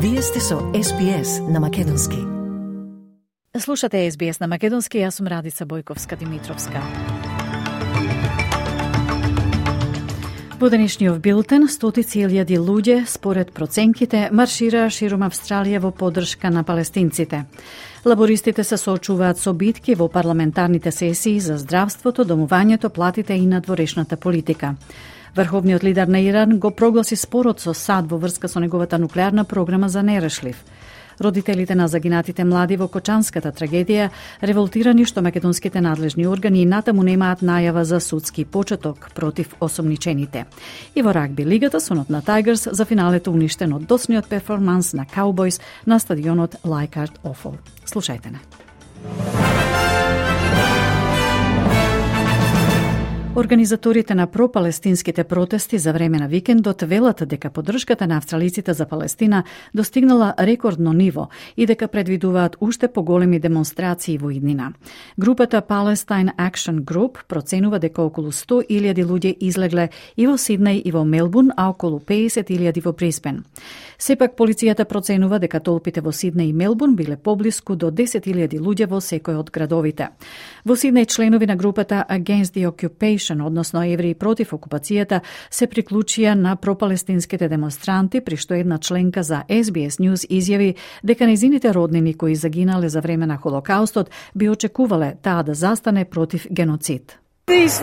Вие сте со SBS на Македонски. Слушате SBS на Македонски, јас сум Радица Бојковска-Димитровска. Во денешниот билтен, стотици илјади луѓе, според проценките, маршираа ширум Австралија во поддршка на палестинците. Лабористите се соочуваат со битки во парламентарните сесии за здравството, домувањето, платите и надворешната политика. Врховниот лидер на Иран го прогласи спорот со САД во врска со неговата нуклеарна програма за нерешлив. Родителите на загинатите млади во Кочанската трагедија револтирани што македонските надлежни органи и натаму немаат најава за судски почеток против осомничените. И во рагби лигата сонот на Тайгерс за финалето уништен од досниот перформанс на Cowboys на стадионот Leichhardt Oval. Слушајте не. Организаторите на пропалестинските протести за време на викендот велат дека поддршката на австралиците за Палестина достигнала рекордно ниво и дека предвидуваат уште поголеми демонстрации во иднина. Групата Palestine Action Group проценува дека околу 100.000 луѓе излегле и во Сиднеј и во Мелбурн, а околу 50.000 во Брисбен. Сепак полицијата проценува дека толпите во Сиднеј и Мелбурн биле поблиску до 10.000 луѓе во секој од градовите. Во Сиднеј членови на групата Against the Occupation, односно евреи против окупацијата, се приклучија на пропалестинските демонстранти, при што една членка за SBS News изјави дека нејзините роднини кои загинале за време на Холокаустот би очекувале таа да застане против геноцид. This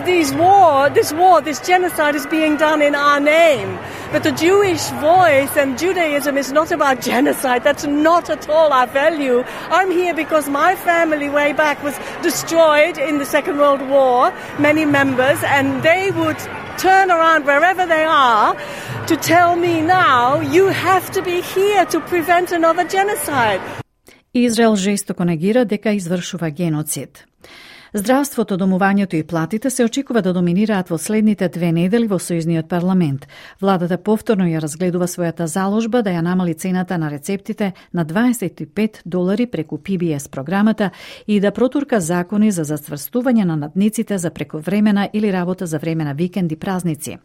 genocide is being done in our name. But the Jewish voice and Judaism is not about genocide. That's not at all our value. I'm here because my family way back was destroyed in the Second World War, many members, and they would turn around wherever they are to tell me now, you have to be here to prevent another genocide. Израел жестоко негира дека извршува геноцид. Здравството, домувањето и платите се очекува да доминираат во следните 2 недели во Сојузниот парламент. Владата повторно ја разгледува својата заложба да ја намали цената на рецептите на $25 преку PBS програмата и да протурка закони за зацврстување на надниците за прековремена или работа за време на викенди празници.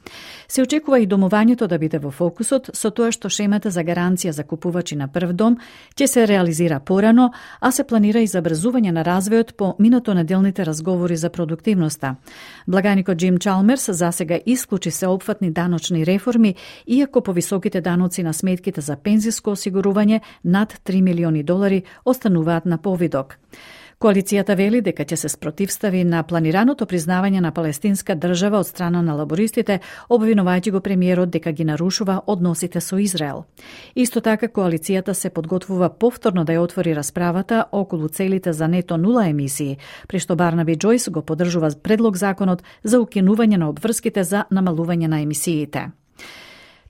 Се очекува и домувањето да биде во фокусот, со тоа што шемата за гаранција за купувачи на прв дом ќе се реализира порано, а се планира и забрзување на развојот по минатонеделните разговори за продуктивноста. Благаникот Джим Чалмерс засега исклучи сеопфатни даночни реформи, иако повисоките даноци на сметките за пензиско осигурување над $3 милиони остануваат на повидок. Коалицијата вели дека ќе се спротивстави на планираното признавање на палестинска држава од страна на лабористите, обвинувајќи го премиерот дека ги нарушува односите со Израел. Исто така, коалицијата се подготвува повторно да ја отвори расправата околу целите за нето нула емисии, при што Барнаби Џојс го поддржува предлог законот за укинување на обврските за намалување на емисиите.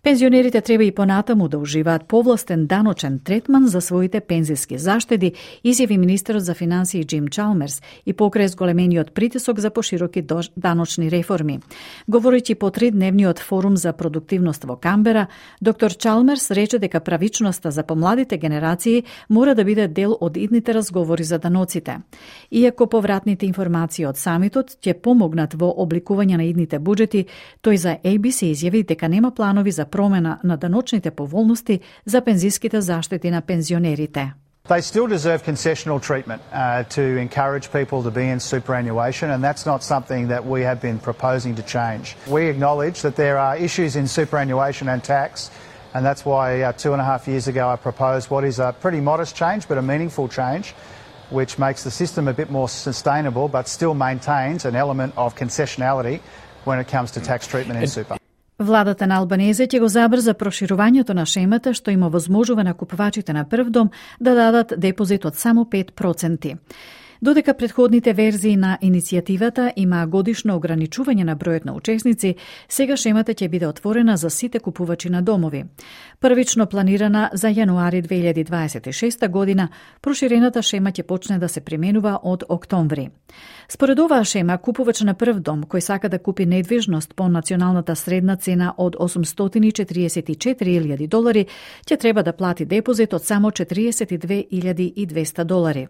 Пензионерите треба и понатаму да уживаат повластен даночен третман за своите пензиски заштеди, изјави министерот за финансии Джим Чалмерс и покрај зголемениот притисок за пошироки даночни реформи. Говорејќи по 3-дневниот форум за продуктивност во Камбера, доктор Чалмерс рече дека правичноста за помладите генерации мора да биде дел од идните разговори за даноците. Иако повратните информации од самитот ќе помогнат во обликување на идните буџети, тој за ABC изјави дека нема планови за промена на даночните поволности за пензиските заштити на пензионерите. They still deserve concessional treatment to encourage people to be in superannuation, and that's not something that we have been proposing to change. We acknowledge that there are issues in superannuation and tax, and that's why 2.5 years ago I proposed what is a pretty modest change but a meaningful change, which makes the system a bit more sustainable but still maintains an element of concessionality when it comes to tax treatment in super. Владата на Албанезе ќе го забрза проширувањето на шемата што им овозможува на купувачите на прв дом да дадат депозит од само 5%. Додека предходните верзии на иницијативата има годишно ограничување на бројот на учесници, сега шемата ќе биде отворена за сите купувачи на домови. Првично планирана за јануари 2026 година, проширената шема ќе почне да се применува од октомври. Според оваа шема, купувач на прв дом кој сака да купи недвижност по националната средна цена од $844,000 ќе треба да плати депозит од само $42,200.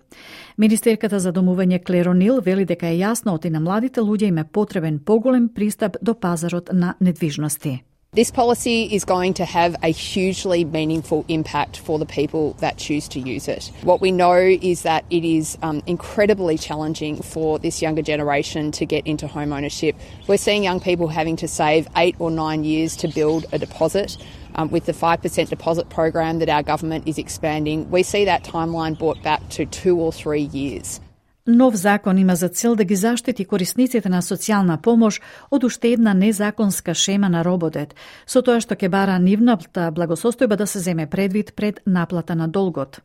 Министерката за домување Клер О'Нил вели дека е јасно оти на младите луѓе им е потребен поголем пристап до пазарот на недвижности. This policy is going to have a hugely meaningful impact for the people that choose to use it. What we know is that it is incredibly challenging for this younger generation to get into home ownership. We're seeing young people having to save 8 or 9 years to build a deposit. With the 5% deposit program that our government is expanding, we see that timeline brought back to 2 or 3 years. Нов закон има за цел да ги заштити корисниците на социјална помош од уште една незаконска шема на рободет, со тоа што ќе бара нивната благосостојба да се земе предвид пред наплата на долгот.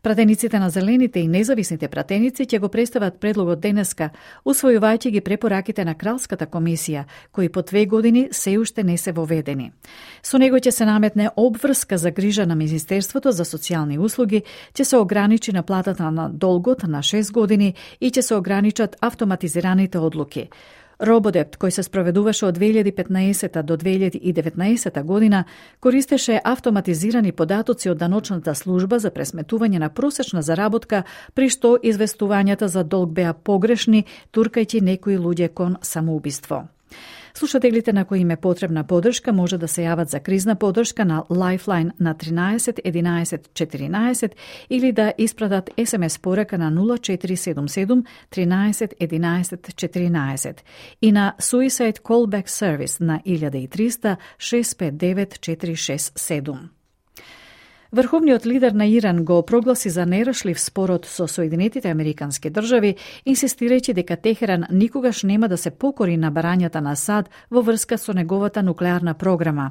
Пратениците на Зелените и независните пратеници ќе го представат предлогот денеска, усвојувајќи ги препораките на Кралската комисија, кои по 2 години се уште не се воведени. Со него ќе се наметне обврска за грижа на Министерството за социјални услуги, ќе се ограничи наплатата на долгот на 6 години и ќе се ограничат автоматизираните одлуки. Рободепт, кој се спроведуваше од 2015 до 2019 година, користеше автоматизирани податоци од даночната служба за пресметување на просечна заработка, при што известувањата за долг беа погрешни, туркајќи некои луѓе кон самоубиство. Слушателите на кои им е потребна поддршка може да се јават за кризна поддршка на Lifeline на 13 11 14 или да испратат SMS порака на 0477 13 11 14 и на Suicide Callback Service на 1300 659 467. Врховниот лидер на Иран го прогласи за нерешлив спорот со Соединетите Американски држави, инсистирајќи дека Техеран никогаш нема да се покори на барањата на САД во врска со неговата нуклеарна програма.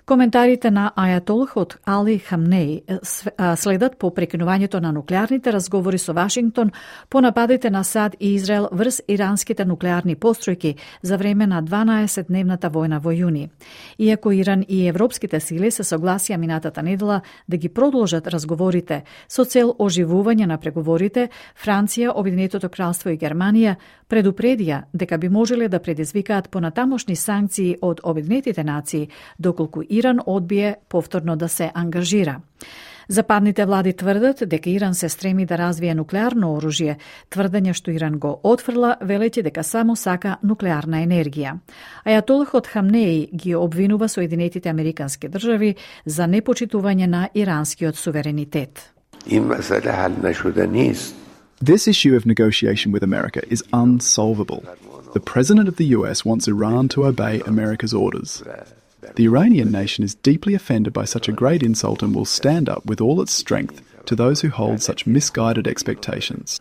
Коментарите на ајатолхот Али Хамнеи следат по прекинувањето на нуклеарните разговори со Вашингтон по нападите на САД и Израел врз иранските нуклеарни постројки за време на 12-дневната војна во јуни. Иако Иран и европските сили се согласија минатата недела да ги продолжат разговорите со цел оживување на преговорите, Франција, Обединетото кралство и Германија предупредија дека би можеле да предизвикаат понатамошни санкции од Обединетите нации доколку Иран одбие повторно да се ангажира. Западните влади тврдат дека Иран се стреми да развие нуклеарно оружје, тврдење што Иран го отфрла, велејќи дека само сака нуклеарна енергија. Ајатолхот Хамнеи ги обвинува Соединетите Американски држави за непочитување на иранскиот суверенитет. This issue of negotiation with America is unsolvable. The President of the US wants Iran to obey America's orders. The Iranian nation is deeply offended by such a great insult and will stand up with all its strength to those who hold such misguided expectations.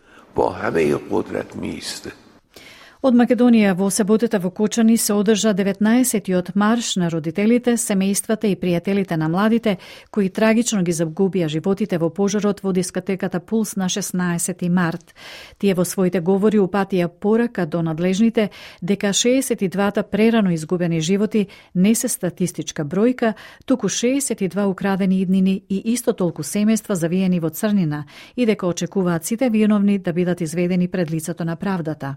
Од Македонија во саботата во Кочани се одржа 19-тиот марш на родителите, семејствата и пријателите на младите кои трагично ги загубија животите во пожарот во дискотеката Пулс на 16 март. Тие во своите говори упатија порака до надлежните дека 62-та прерано изгубени животи не се статистичка бројка, туку 62 украдени иднини и исто толку семејства завиени во црнина и дека очекуваат сите виновни да бидат изведени пред лицето на правдата.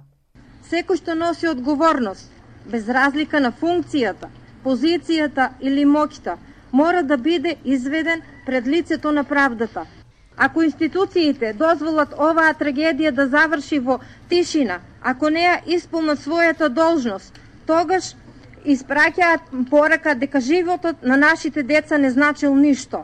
Секој што носи одговорност, без разлика на функцијата, позицијата или моќта, мора да биде изведен пред лицето на правдата. Ако институциите дозволат оваа трагедија да заврши во тишина, ако не ја исполнат својата должност, тогаш испраќаат порака дека животот на нашите деца не значил ништо.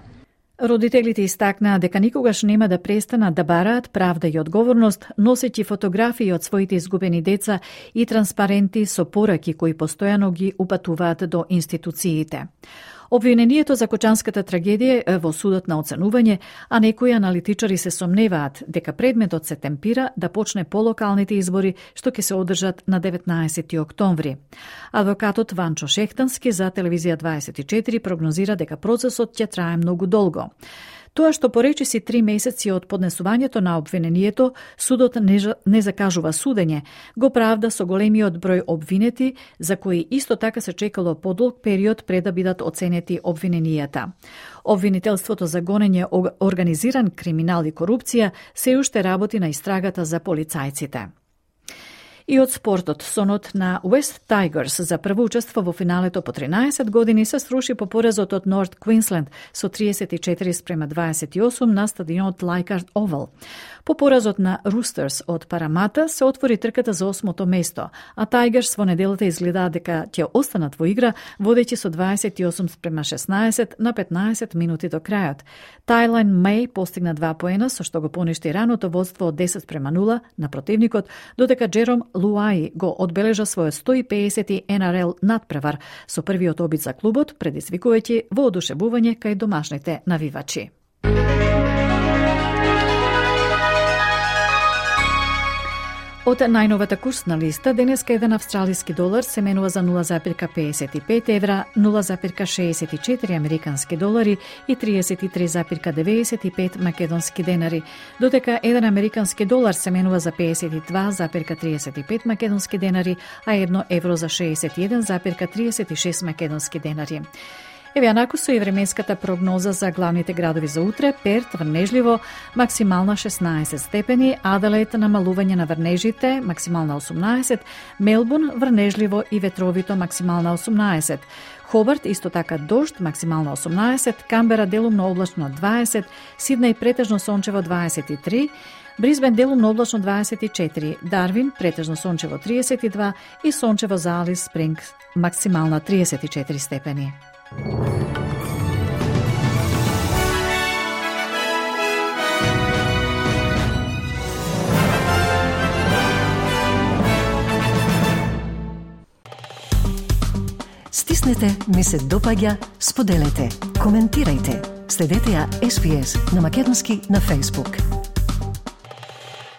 Родителите истакнаа дека никогаш нема да престанат да бараат правда и одговорност, носејќи фотографии од своите изгубени деца и транспаренти со пораки кои постојано ги упатуваат до институциите. Обвинението за Кочанската трагедија е во судот на оценување, а некои аналитичари се сомневаат дека предметот се темпира да почне по локалните избори што ќе се одржат на 19 октомври. Адвокатот Ванчо Шехтански за Телевизија 24 прогнозира дека процесот ќе трае многу долго. Тоа што поречиси 3 месеци од поднесувањето на обвинението, судот не закажува судење, го правда со големиот број обвинети, за кои исто така се чекало подолг период пред да бидат оценети обвиненијата. Обвинителството за гонење организиран криминал и корупција се уште работи на истрагата за полицајците. И од спортот, сонот на West Tigers за прво учество во финалето по 13 години се сруши по поразот од Норт Квинсленд со 34-28 на стадионот Leichhardt Oval. По поразот на Roosters од Парамата се отвори трката за 8-то место, а Tigers во неделата изгледаа дека ќе останат во игра, водејќи со 28-16 на 15 минути до крајот. Тайлайн Меј постигна 2 поена, со што го поништи раното водство од 10-0 на противникот, додека Джером Луаи го одбележа својот 150 NRL надпревар со првиот обид за клубот, предизвикувајќи воодушевување кај домашните навивачи. Од најновата курсна листа, денеска еден австралиски долар се менува за 0,55 евра, 0,64 американски долари и 33,95 македонски денари, додека еден американски долар се менува за 52,35 македонски денари, а 1 евро за 61,36 македонски денари. Еве анаку со и временската прогноза за главните градови за утре: Перт врнежливо, максимална 16 степени, Аделаид намалување на врнежите, максимална 18, Мелбурн врнежливо и ветровито, максимална 18, Хобарт исто така дожд, максимална 18, Камбера делумно облачно 20, Сиднеј претежно сончево 23, Брисбен делумно облачно 24, Дарвин претежно сончево 32 и сончево за Алис Спрингс максимална 34 степени. Стиснете, ми се допаѓа, споделете, коментирајте. Следете ја SPS на Македонски на Facebook.